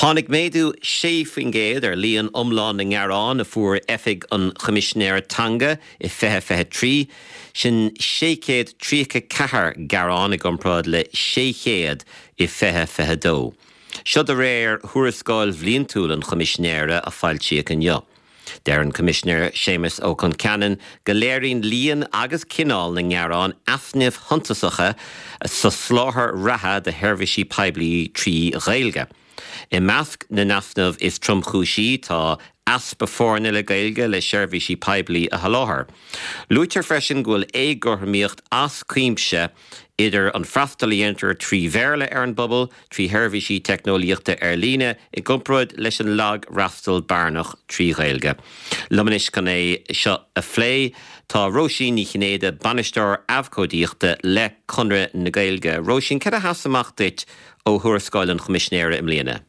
Tháinig méadú 6% ar líon iomlán na ngearán a fuair Oifig an Choimisinéara Teanga i 2023, sin 634 gearán i gcomparáid le 600 i 2022. Seo de réir thuarascáil bhliantúil an Choimisinéara a foilsíodh inniu. Deir an Coimisinéir Séamus Ó Concheanainn go léiríonn líon agus cineál na ngearán easnaimh shuntasacha sa soláthar reatha de sheirbhísí poiblí trí Ghaeilge. I measc na n-easnamh is tromchúisí tá easpa foirne le Gaeilge le seirbhísí poiblí a sholáthar. Luaitear freisin go bhfuil éagothromaíocht as cuimse idir an freastal a dhéantar trí Bhéarla ar an bpobal, trí sheirbhísí teicneolaíochta ar líne i gcomparáid leis an lagfhreastal bearnach trí Ghaeilge. Liom anois chun é seo a phlé tá Róisín Ní Chinnéide, Bainisteoir Abhcóideachta le Conradh na Gaeilge. Róisín, cad a sheas amach duit ó thuarascáil an Choimisinéara i mbliana?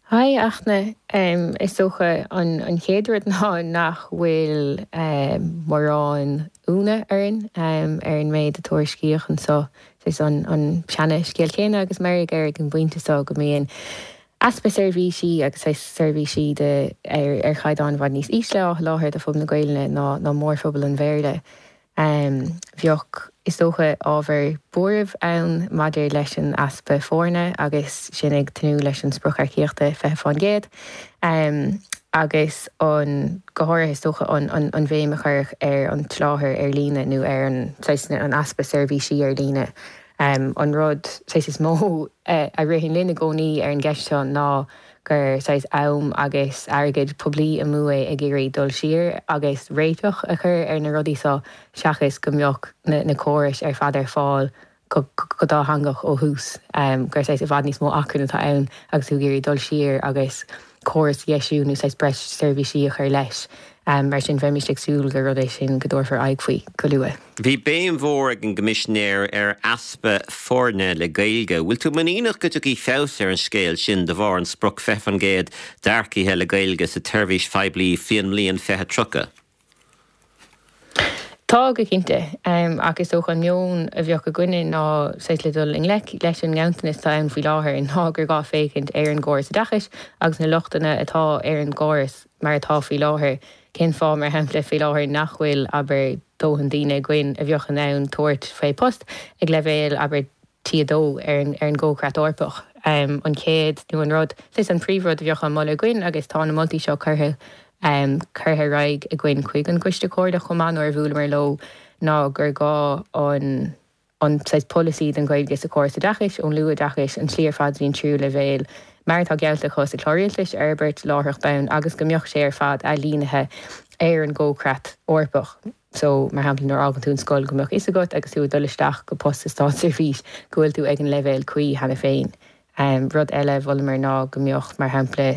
Haigh, a Fhachtna. Is dócha an chéad rud ná nach bhfuil mórán ionadh orainn ar an méid a tuairiscíodh anseo. Is an seana-scéal céanna agus meirg air ag an bpointe seo go mbíonn easpa seirbhísí agus seirbhísí de ar chaighdeán i bhfad níos ísle á sholáthar do phobal na Gaelainne ná mórphobal an Bhéarla. Bheadh, is dócha, ábhar buairimh ann maidir leis an easpa foirne agus sinn ag tnúth leis an sprioc earcaíochta 20% agus an, go háirithe, is dócha, an bhéim a cuireadh ar an tsoláthar ar líne nó ar an, saghas, an easpa seirbhísí ar líne. An rud, saghas, is mó a ritheann linn i gcónaí ar an gceist seo ná gur saghas am agus airgead poiblí amú é ag iarraidh dul siar agus réiteach a chur ar na rudaí seo seachas go mbeadh na córais ar fad ar fáil go dátheangach ó thús, gur saghas i bhfad níos mó acmhainn atá ann agus tú ag iarraidh dul siar agus córas a dheisiú nó saghas breis seirbhísí a chur leis. Mar sin bheimís ag súil gur rud é sin go dtabharfar aghaidh faoi go luath. Bhí béim mhór ag an gCoimisinéir ar easpa foirne le Gaeilge. Bhfuil tú muiníneach go dtiocfaidh feabhas ar an scéal sin de bharr an sprioc 20% d'earcaithe le Gaeilge sa tseirbhís phoiblí faoin mbliain 2030? Tá, go cinnte. Ach is dócha an meon a bheadh againne ná saghas le dul i ngleic leis an nganntanas atá ann faoi láthair ná gur gá féachaint ar an gcóras oideachais agus na lochtanna atá ar an gcóras mar atá faoi láthair. Cén fáth, mar shampla, faoi láthair nach bhfuil, abair, dóthain daoine againn a bheadh in ann tabhairt faoi post ag leibhéal, abair, T2 ar an gComhchreat Eorpach. An chéad, nó an rud, saghas an príomhrud a bheadh á moladh againn agus tá na moltaí seo curtha curtha ar aghaidh againn chuig an gCoiste Comhairleach chomh maith nuair a bhuaileamar leo, ná gur gá an an saghas polasaí don Ghaeilge sa chóras oideachais, ón luathoideachais, an tslí ar fad go dtí an tríú leibhéal, mar atá geallta acu sa Chlár Rialtais, a fhorbairt láithreach bonn agus go mbeadh sé ar fad ailínithe ar an gComhchreat Eorpach. So, mar shampla, nuair a fhágann tú an scoil, go mbeadh fhios agat agus tú ag dul isteach go post sa státseirbhís go bhfuil tú ag an leibhéal cuí cheana féin. Rud eile a mholamar ná go mbeadh, mar shampla,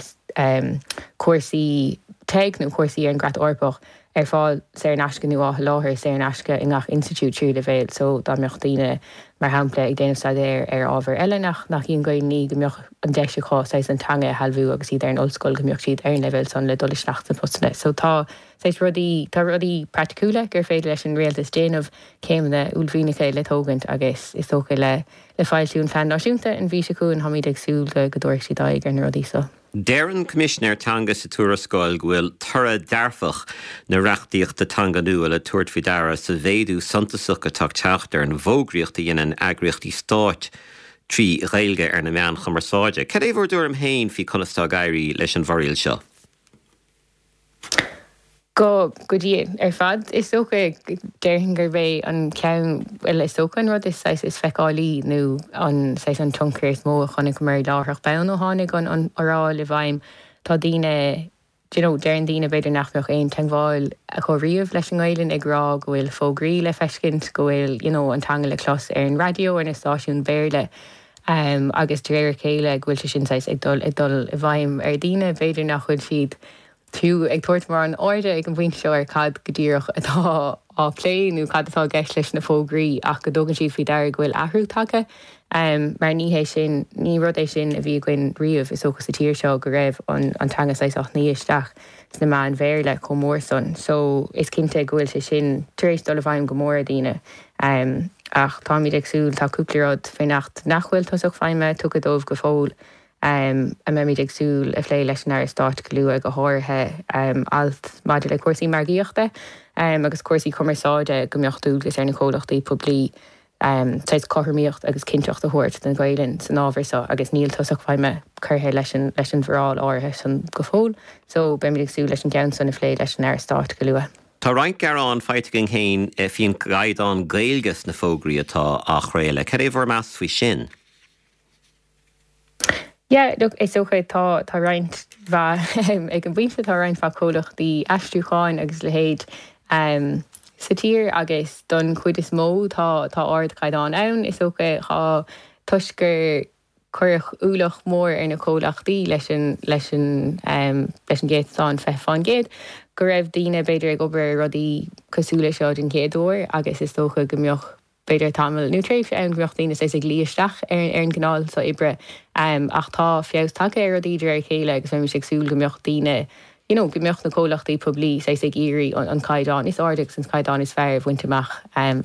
cúrsaí TEG nó cúrsaí ar an gCreat Eorpach ar fáil saor in aisce nó á sholáthar saor in aisce i ngach institiúid tríú leibhéal. So, dá mbeadh daoine, mar shampla, ag déanamh staidéir ar ábhar eile nach nach í an Ghaelainn í, go mbeadh an deis acu saghas an teanga a shealbhú agus iad ar an ollscoil, go mbeadh siad ar an leibhéal san le dul isteach sna postanna. So, tá. Saghas rudaí, tá rudaí praiticiúla gur féidir leis an rialtas déanamh, céimeanna uaillmhianacha le tógaint agus is dócha le le foilsiú an Phlean Náisiúnta an mhí seo chugainn táimid ag súil go go dtabharfaidh siad aghaidh ar na rudaí seo. Deir an Coimisinéir Teanga sa tuarascáil go bhfuil toradh dearfach na reachtaíochta teanga nua le tabhairt faoi deara sa mhéadú suntasach atá ag teacht ar an bhfógraíocht a dhéanann eagraíochtaí stáit trí Ghaeilge ar na meáin chumarsáide. Cad é bhur dtuairim féin faoi conas atá ag éirí leis an bhforáil seo? Go go dian ar fad is dócha. Déarfainn gurb é an ceann, bhuel is dócha an rud is saghas is feiceálaí nó an saghas an tionchar is mó a chonaiceamar láithreach bonn ó tháinig an an fhoráil i bhfeidhm. Tá daoine, do you know, deireann daoine b'fhéidir nach mbeadh aon teagmháil acu riamh leis an nGaelainn ag rá go bhfuil fógraí le feiscint, go bhfuil you know an teanga le clos ar an raidió, ar na stáisiúin Bhéarla. Agus de réir a chéile go bhfuil sé sin saghas ag dul ag dul i bhfeidhm ar dhaoine, b'fhéidir nach bhfuil siad fiú ag tabhairt mórán airde ag an bpointe seo ar cad go díreach atá á phlé nó cad atá i gceist leis na fógraí ach go dtugann siad faoi deara go bhfuil athrú tagtha. Mar ní hé sin, ní rud é sin a bhí againn riamh is dócha sa tír seo go raibh an an teanga saghas á shnoí isteach sna meáin Bhéarla chomh mór san. So is cinnte go bhfuil sé sin tar éis dul i bhfeidhm go mór ar dhaoine. Ach táimid ag súil, tá cúpla rud faoin Acht nach bhfuil tosach feidhme tugtha dóibh go fóill, a mbeimid ag súil a phlé leis an Aire Stáit go luath, go háirithe alt maidir le cúrsaí margaíochta agus cúrsaí cumarsáide, go mbeadh dualgas ar na comhlachtaí poiblí saghas cothromaíocht agus cinnteacht a thabhairt don Ghaelainn san ábhar seo agus níl tosach feidhme curtha leis an leis an bhforáil áirithe san go fóill so beimid ag súil leis an gceann san a phlé leis an Aire Stáit go luath. Tá roinnt gearán faighte againn féin faoin gcaighdeán Gaeilge sna fógraí atá á chraoladh. Cad é bhur meas faoi sin? Yeah, look, is dócha tá, tá roinnt mhaith, ag an bpointe tá roinnt mhaith comhlachtaí aistriúcháin agus a leithéid sa tír agus don chuid is mó tá, tá ardchaighdeán ann. Is dócha tá, toisc gur cuireadh ualach mór ar na comhlachtaí leis an, leis an, leis an gcéatadán 20%, go raibh daoine b'fhéidir ag obair ar rudaí cosúil leis seo den chéad uair agus is dócha go mbeadh b'fhéidir tamall nó tréimhse ann go mbeadh daoine saghas ag luí isteach ar ar an gcineál seo oibre ach tá feabhas tagtha ar rudaí de réir a chéile agus bheimis ag súil go mbeadh daoine you know go mbeadh na comhlachtaí poiblí saghas ag iarraidh an caighdeán is airde agus an caighdeán is fearr a bhaint amach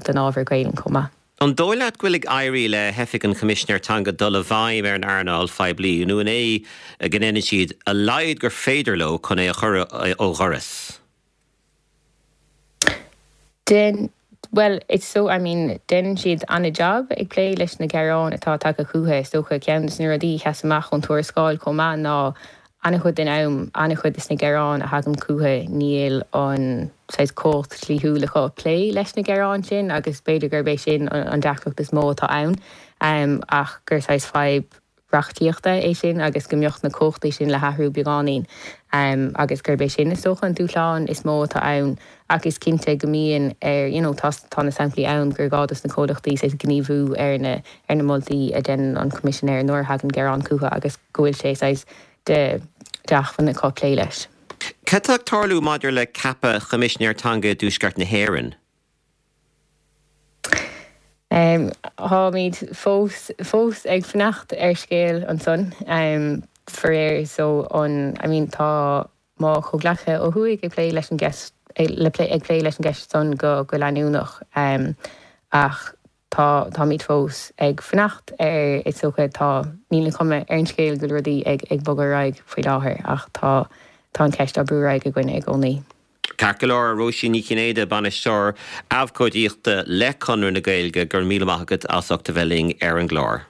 don ábhar Gaelainn chomh maith. An dóigh leat go bhfuil ag éirí le hOifig an Choimisinéir Teanga dul i bhfeidhm ar an earnáil phoiblí nó an é go ndéanann siad a laghad gur féidir leo chun é a chur ó dhoras? Den, bhuel, it's so, I mean, déanann siad an-jab ag plé leis na gearáin atá tagtha chucu. Is dócha, ceann de na rudaí a sheas amach ón tuarascáil chomh maith ná an-chuid den am, an-chuid de na gearáin a thagann chucu, níl an saghas cumhacht dhlíthiúil acu plé leis na gearáin sin agus b'fhéidir gurb é sin an deacracht is mó atá ann ach gur saghas fadhb reachtaíochta é sin agus go mbeadh na cumhachtaí sin le hathrú beagáinín agus gurb é sin is dócha an dúshlán is mó atá ann ach is cinnte go mbíonn ar you know tá tá na samplaí ann gur gá dos na comhlachtaí saghas gníomhú ar na ar na moltaí a dhéanann an Coimisinéir nuair a thagann gearán chucu agus go bhfuil sé saghas de d'acmhainn acu plé leis. Cad tá ag tarlú maidir le ceapadh Choimisinéir Teanga i dTuaisceart na hÉireann? Táimid fós fós ag fanacht ar scéal ansan, faraor. So an, I mean tá mo chomhghleacaithe ó thuaidh ag plé leis an gceist, le plé, ag plé leis an gceist san go go leanúnach ach tá, táimid fós ag fanacht ar, is dócha, tá, níl an chuma ar an scéal go bhfuil rudaí ag ag bogadh ar aghaidh faoi láthair ach tá, tá an cheist á brú ar aghaidh againn i gcónaí. Ceart go leor, Róisín Ní Chinnéide, Bainisteoir Abhcóideachta le Conradh na Gaeilge, go raibh míle maith agat as ucht a bheith linn ar an gclár.